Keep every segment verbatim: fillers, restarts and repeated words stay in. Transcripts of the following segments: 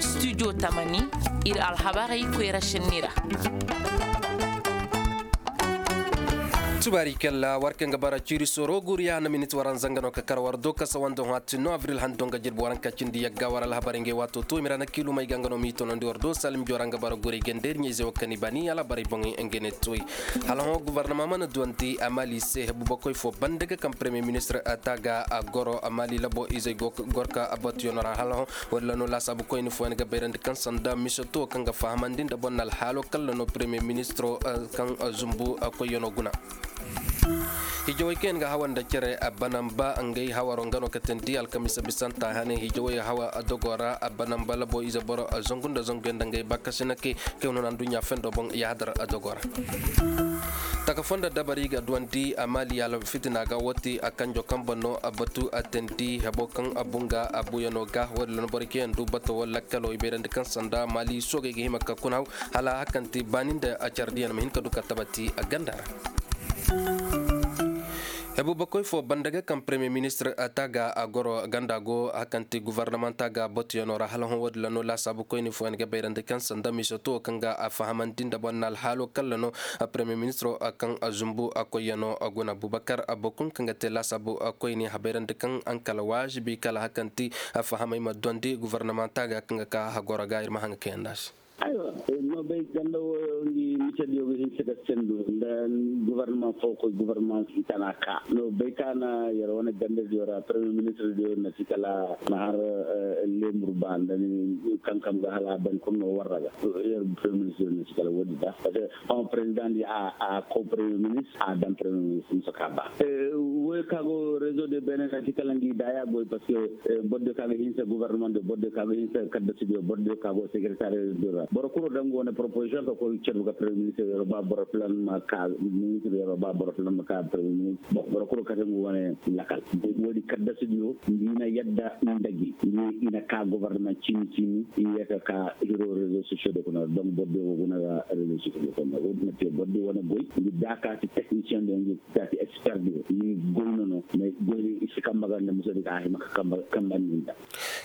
Studio tamani, ir alhabarey koyra šenni ra. Tubaari kalla war kaŋ ga bara ciiri soro guriya na minit waranza nga no ka kar war do kasa wando hati no abril hando nga jirbi waranka cindi yagga war alhabarey ngey waato to i mira na kiilumey ga nga no m'i tonandi war do salim jora nga bara gurey gandey ir ɲayze wo kaŋ i bani alhabarey boŋey nga ne toy. Hala hõ guvarnama mana duwandi a mali se hebu bakoy fo banda ga kaŋ premier ministre ta ga a goro a mali labo izey gor ka a batuyaŋo ra hala hõ. Walla no laasaabu koyne fooyaŋ ga bayrandi kaŋ sanda misoto kaŋ ga fahamandi nda boŋ na alhaalo kalla no premier ministro kaŋ zumbu koyyaŋo guna. Hijawey kaŋ yaŋ ga hawa nda cere banamba ngey hawaro nga no ka tindi alkamisa bisanta hane hijawey hawa dogo ra banamba labo ize boro zangu nda zanguyaŋ nda ngey bakasina kay kay no na nduɲɲa fendo boŋ yaadar dogo ra. Taka fo nda dabari ga duwandi a mali alfitina ga woti a kanjo kaŋ boŋ no a batu a tindi hebo kaŋ a bunga a buyaŋo ga walla no boro kaŋ yaŋ du bato walla kalo i bayrandi kaŋ sanda mali soogey ga hima ka kuna haw hala hakanti baani nda a cardiyaŋ ma hin ka du ka tabati a ganda ra. Hebu bakoy fo banda ga kaŋ premier ministre ta ga a goro ganda go hakanti guvarnamanta ga batuyaŋo ra hala hõ wo- din ra no laasaabu koyne fooyaŋ ga bayrandi kaŋ sanda misoto kaŋ ga a fahamandi nda boŋ na alhaalo kalla no premier ministro kaŋ a zumbu a koyyaŋo a guna bubakar a bokun kaŋ ga te laasaabu a koyne habayrandi kaŋ ankala waajibi kala hakanti a fahamay ma duwandi guvarnamanta ga kaŋ ga ka hagoro ga ir ma haŋ ga kayandi a se. Aywa, no bay ganda wo ngi misediyo ga hinse ga sendu nda guvarnama fo koy guvarnama si tana ka no bay ka na yar wane ganda diyo ra premier ministre diyo na si kala na har lemur ba nda ni kankam ga hala ban kunno warra ga yar premier ministre na si kala wodi da parce que hon président di a ko premier ministre a dan premier ministre musa ka ba. Woy ka go réseau de bénin na si kala ngi daya goy parce que boro diyo ka ga hinse gouvernement de boro diyo ka ga hinse kadda studio boro diyo ka go secrétaire de ra boro kuro dangu wane proposition ka koy cerbu ga premier ministre yoro ba boro plan ma ka ministre yoro ba boro plan ma ka premier ministre bon boro kuro kate ngu wane lakal. Wodi kadda studio ngi na yadda ndagi ngi ina ka gouvernement cimi cimi iya ka ka hiro réseau sociaux de kuna donc boro diyo go guna ga réseau sociaux de kuna wodi na te boro diyo wane goy ngi daka ti technicien de ngi daka ti expert de ngi goy no no mais goy isi kamba ga nda muso de ka hima ka kamba kamba ninda.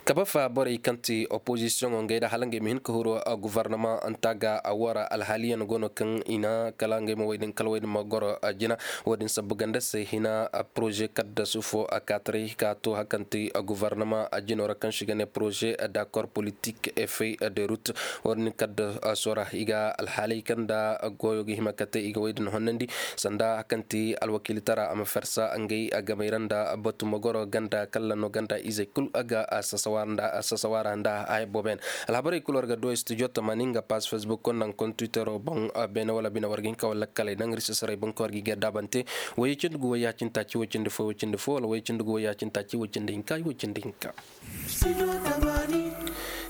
Kaba fa borey kaŋ ti opozisiyoŋo ngey da hala ngey ma hin ka huru guvarnama nta ga a wara alhaaliyaŋ go no kaŋ i na kala ngey ma wey din kala wey din ma goro jina. Wo- din sabbu ganda se hina poroze kaddasu fo a kaataray ka to hari kaŋ ti guvarnama jino ra kaŋ se i ga ne poroze dakor politik efey de rut. Wo- din kaddaso ra i ga alhaaley kaŋ nda goyo ga hima ka te i ga wey din honnandi sanda hari kaŋ ti alwakiilitara a ma farsa ngey gamey ra nda batu ma goro ganda kalla no ganda izey kul a ga a sasawa ra nda a haya boobo yaŋ. Alhabarey kul war ga du studio tamaani nga paas facebook nda nga kontwitero boŋ. Beene wala bine war ga hin ka wala kaley naŋ risi saray boŋ ka war ga i ga daabante. Woy cindi gu woy ya cindi taaci woy cindi fo woy cindi fo wala woy cindi gu woy ya cindi taaci woy cindi hinka woy cindi hinka.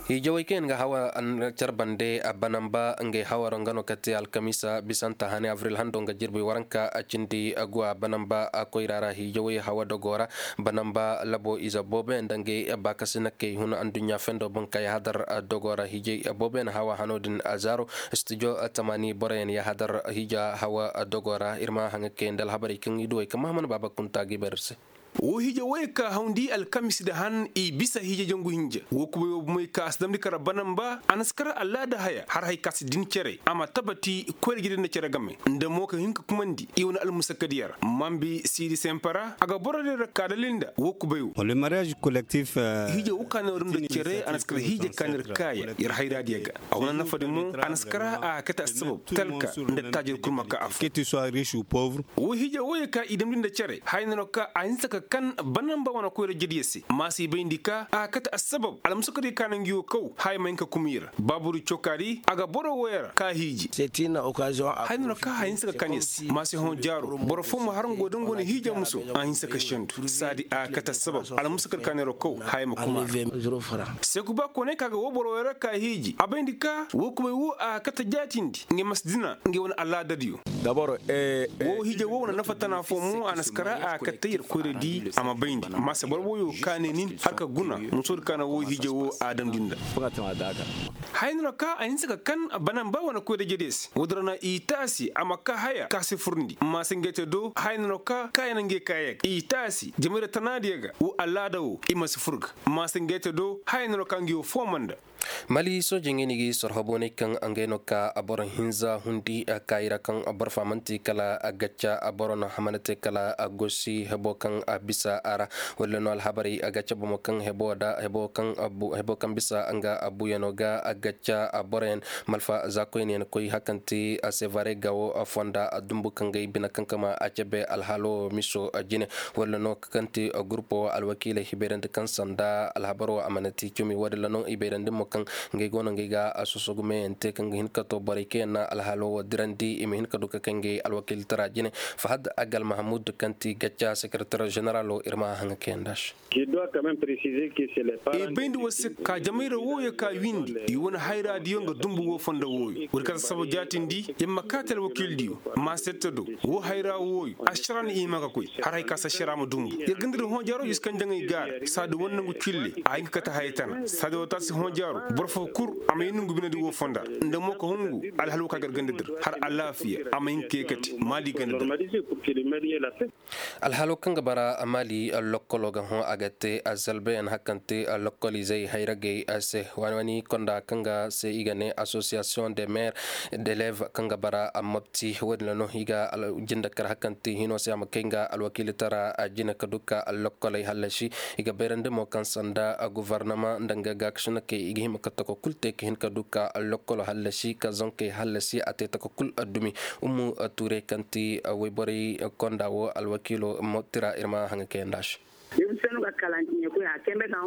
Hiijawey kaŋ yaŋ ga hawa care bande a banamba ngey hawaro nga no ka te alkamiisa bisanta hane abril hando nga jirbi waranka a cindi guwa banamba a koyra ra hiijawey hawa dogo ra. Banamba labo ize boobo yaŋ nda ngey baakasi nakkey hun adduɲɲa fendo boŋ ka yahadar dogo ra hiijay boobo yaŋ hawa hano din a zaaro. Studio tamaani boro yaŋ yahadar hiija hawa dogo ra ir ma haŋa kayandi alhabarey kaŋ i duwey kaŋ mahaman baaba kunta ga i bar ir se. Wo hiije woy ka hawndi alkamis nda han i bisa hiije jangu hinja wo kubay wo bomey ka a si damndi kara banamba a na si kara allaada haya har hay ka si din cere a ma tabati koyra jire nda cere game nda mo ka hin ka kumandi i wane almusakadiya ra mambi siidi sempa ra a ga borodiyo ra ka dalil nda wo kubay wo. Hiije wo ka no ir nda cere a na si kara hiije ka no ir kaaya ir hayraadiyo ga. A wane nafadi mo a na si kara a kate assabab talka nda taajir kul ma ka affo. Wo hiije wooyo ka i damndi nda cere haya no ka a hinsa ka kan banamba wane koyra jediyo se ma si bayndi ka a kate assabab almusakadiyo ka no ngi wo kaw haya ma hin ka kuma i ra baaburi cokaadi a ga boro wooyo ra ka hiiji. Haya no ka haya hinsa ka kan ir se ma si hõ jaaro boro foo ma har nga wo da nga wane hiije muso a hinsa ka sendu saadi a kate assabab almusakadiyo ka no ir wo kaw haya ma kuma a ra. Seekuba kooney ka ga woo boro wooyo ra ka hiiji a bayndi ka woo kubay woo a kate jaatindi ngey ma si dina ngey wane alaadadiyo. Woo hiije woo wane nafa tana foo mo a na si kara a kate yer koyradi a ma bayndi ma se boro wooyo ka ne nin har ka guna musoodi ka na woo hiije woo a damndi nda. Haya no ka a hinsa ka kan banan ba wane koy da jede se woodin ra na i taasi a ma ka haya ka si furndi maasingay te do haya no ka ka ya na ngey kaayey ga i taasi jamayra tanaadiyo ga wo alaada wo i ma si fur ga maasingay te do haya no ka ngey wo fooma nda. Mali sooje ngey no i ga i sorho boonay kaŋ ngey no ka boro hinza hundi kaayi ra kaŋ boro faa man'ti kala gacca boro no a mana te kala gosi hebo kaŋ a bisa a ra. Walla no alhabarey a ga cabe mo kaŋ hebo da hebo kaŋ bisa nga buuyano ga gacca boroyaŋ malfa za koyne yaŋ koy hakanti sevare gawo fonda dumbu kaŋ ga i bine kaŋ kama a cabe alhalo miso jine. Walla no kaŋ ti gurpo alwakiiley hibayrandi kaŋ sanda alhabaro a mana ti cumi woodin ra no i bayrandi mo kaŋ ngey go no ngey ga sosogu meeyaŋ te kaŋ ga hin ka to borey kaŋ yaŋ na alhalo wo dirandi i ma hin ka du ka kay ngey alwakiiltara jine. Fahad agal mahamud kaŋ ti gacca sekeretar ženeralo ir ma haŋa kayanda se. I bayndi war se ka jamayra wooyo ka windi i wane hayraadiyo nga dumbu woo fondo wooyo woodi ka ta saba jaatindi yer ma kaati alwakiildiyo ma sette do woo hayra wooyo ašara na i hima ka koy har hay ka si ašara ma dumbu yer ganda di hoojaaro yer si kaŋ jaŋay gaara saadi war nangu cille a hin ka kate haya tana saadi war taasi hoojaaro boro foo kul a ma hin nungu binedi woo fonda nda mo ka hungu alhal woo ka gar ganda dir har alaafiya a ma hin ka kate maali ganda dir. Alhalo kaŋ ga bara maali lokkolo ga hõ a ga te zalbeyaŋ hakante lokkolizey hayragey se waani waani konda kaŋ ga se i ga ne association de maire d'eleve kaŋ ga bara mobti wo- din ra no i ga jinde kar hakante hino se a ma kay nga alwakiilitara jine ka du ka lokkoley hallasi. I ga bayrandi mo kaŋ sanda gofornama nda nga gaakasinakey i ga hima ka tako kul te ka hin ka du ka lokkolo hallasi ka zonkey hallasi a te tako kul dumi. Ummu ture kaŋ ti wayborey konda wo alwakiilo mo tira ir ma haŋa kayanda se.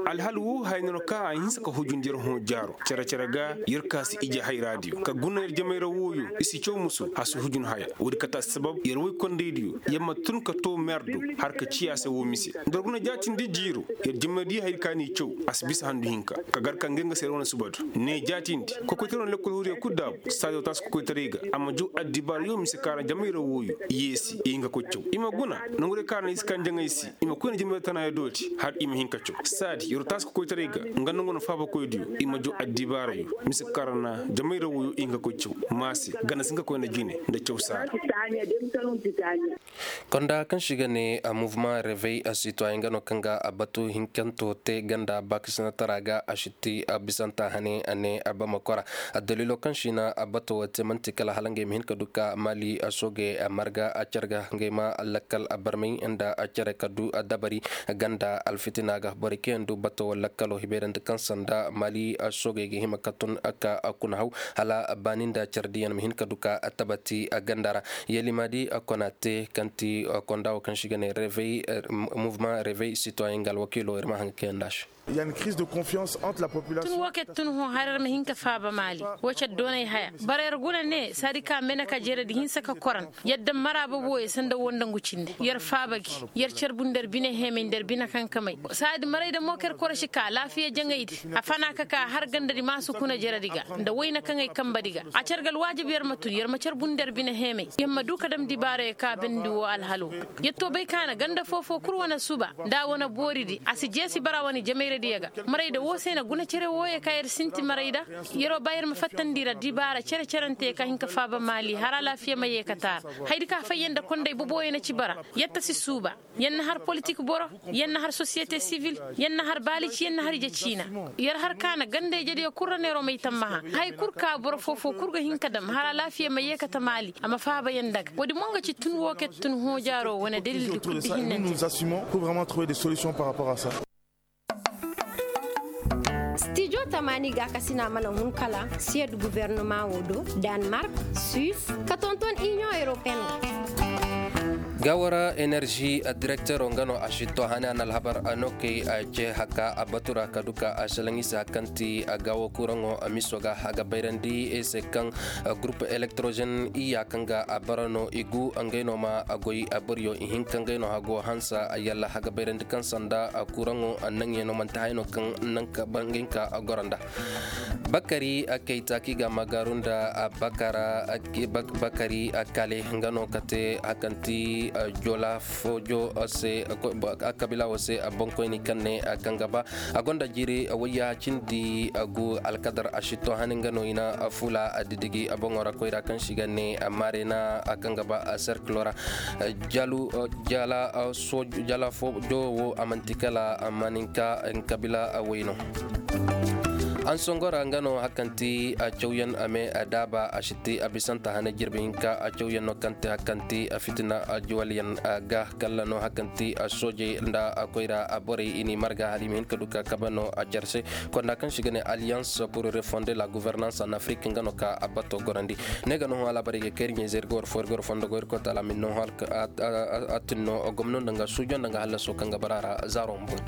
Alhal wo haya no kaŋ a hinsa ka hujundi yer hõ jaaro cere cere ga yer ka si ije hayraadiyo ka guna yer jamayra wooyo i si caw musu a si hujun haya woodi kate assabab yer woykondaydiyo yer ma tun ka to mer do har ka ciya se woo mise nda yer guna jaatindi jiiro yer jamaydiyo hayadi ka n'i caw a si bisa handu hinka ka gar ka ngey nga se yer wane suba do ne jaatindi kokoytaray wane lekkol huriya kul daabu saadi woo taasi kokoytaray ga a ma jaw addibaarayo mise ka ra jamayra wooyo yeesi i hin ka koy caw i ma guna nangu day ka ra na i si kaŋ jaŋay se i ma koy nda jamayra tanaayo dooti har i ma hin ka caw saadi yer woo taasi kokoytaray ga nga nangu wane faabakoydiyo i ma jaw addibaarayo mise ka ra na jamayra wooyo i hin ka koy caw maase gana si hin ka koy nda jine nda caw saara. Konda kaŋ se i ga ne mouvement revey sitoyen nga no kaŋ ga batu hinkanto te ganda baakasinatara ga a si ti bisanta hane a ne bamako ra. Addaliilo kaŋ se i na bato wo te man'ti kala hala ngey ma hin ka du ka maali soogey marga care ga ngey ma lakkal barmay nda care ka du dabari ganda alfitina ga borey kaŋ yaŋ du bato wo lakkalo hibeerandi kaŋ sanda maali soogey ga hima ka tun ka kuna haw hala baani nda care diyaŋ ma hin ka du ka tabati ganda ra. Yelima di kona te kaŋ ti konda wo kaŋ se i ga ne mouvement revey sitoyen nga alwakiilo ir ma haŋ ga kayanda se. Tun wo kaŋ tun hõ har ir ma hin ka faaba maali wo care doonay haya bara ir guna ne saadi ka mene ka jeredi hinsa ka koran yadda mara boboyo sanda wo nda ngu cinde yer faaba gi yer care bu nda ir bine heemay nda ir bine kankamay saadi maray da mo kaŋ ir korosi ka alaafiya jaŋaydi a fana ka ka har gandadi ma si kuna jeredi ga nda wayna kaŋ ay kambadi ga a care ga alwaajib yer ma tun yer ma care bu nda ir bine heemay yer ma du ka dam dibaarayo ka bandi wo alhalo. Yer to bay ka na ganda foo-foo kul wane suba nda a wane booridi a si jeesi bara wane jamayradiyo ga. Marayda woo se na guna cere wooyo ka yer sinti marayda. Yeroo ba yer ma fattandi ra dibaara cere-cerante ka hin ka faaba maali har alaafiya ma yeekata a ra. Hayadi ka fayyan nda konday boboyo na ci bara. Yer ta si suuba. Yer na har politik boro. Yer na har sosiyete sivil. Yer na har baalici yer na har ije ciina. Yer har ka na ganda ijediyo kul ra neeroo may tammaha. Hay kul ka boro foo-foo kul ga hin ka dam har alaafiya ma yeekata maali a ma faaba yer nda ga woodi mo nga ci tun woo kaŋ tun hoojaaroo wane dalildi kul di hinnanti. Stijo tamaani gaakasina mana hun kala siyed guvernoma woo do, danmark, suis, ka tonton iniyoŋ europeyen ga. Gaawara enerži direktero nga no a si to hane a na alhabar a no kay a ce haka a batu ra ka du ka a salaŋ i se haka kaŋ ti a gaawo kuraŋo a miso ga a ga bayrandi i se kaŋ gurup elektrozen iyya kaŋ ga a bara no i gu ngey no ma a goy a boriyo i hin ka ngey no hago hansa yalla a ga bayrandi kaŋ sanda kuraŋo naŋyaŋo manti haya no kaŋ naŋ ka bangay ka goro nda. Bakari kayta kaŋ i ga a magaaru nda bakari kale nga no kate hakanti Jola foojo se, kabila wo se, bonkoyni kaŋ ne kaŋ ga ba a gonda jiiri wayya cindi gu alkadar a si to hani nga no i na fula didigi boŋo ra koyra kaŋ si ga ne maarena kaŋ ga ba serkilo ra. Jala foojo wo a manti kala maninka kabila way no. Ansongora nga no hakanti cawyaŋ a me daaba a si te a bisanta hane jirbi hinka cawyaŋ no kaŋ te hakanti fitina juwalyaŋ ga kalla no hakanti soojey nda koyra borey i n'i marga hala i ma hin ka du ka kabe no a care se. Konda kaŋ si ga ne alliance pour refonder la gouvernance en afrique nga no ka a bato gorandi. Ne ga no hõ alaabarey ga kayri ɲayzey ir ga war fo ir ga war fondo go ir koy taala min no hõ a tin no gomno nda nga suujo nda nga hallaso kaŋ ga bara ra zaaro ma boŋ.